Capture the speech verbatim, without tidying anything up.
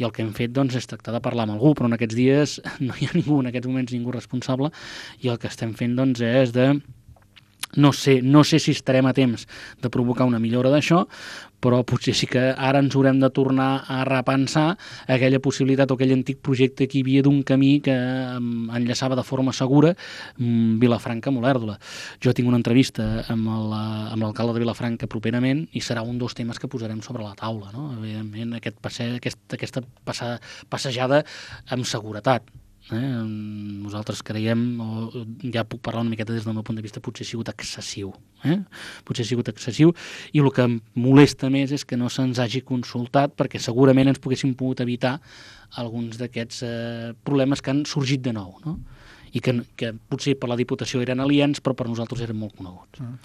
i el que hem fet doncs, és tractar de parlar amb algú, però en aquests dies no hi ha ningú, en aquests moments ningú responsable, i el que estem fent doncs, és de... No sé, no sé si estarem a temps de provocar una millora d'això, però potser sí que ara ens haurem de tornar a repensar aquella possibilitat o aquell antic projecte que hi havia d'un camí que enllaçava de forma segura Vilafranca amb Olèrdola. Jo tinc una entrevista amb l'alcalde de Vilafranca properament i serà un dels temes que posarem sobre la taula, no? Evidentment, aquest passe, aquest, aquesta passa, passejada amb seguretat. Eh? Nosaltres creiem, o ja puc parlar una miqueta des del meu punt de vista, potser ha sigut excessiu. Eh? Potser ha sigut excessiu i el que em molesta més és que no se'ns hagi consultat perquè segurament ens poguéssim pogut evitar alguns d'aquests eh, problemes que han sorgit de nou, no? I que, que potser per la Diputació eren aliens però per nosaltres eren molt coneguts.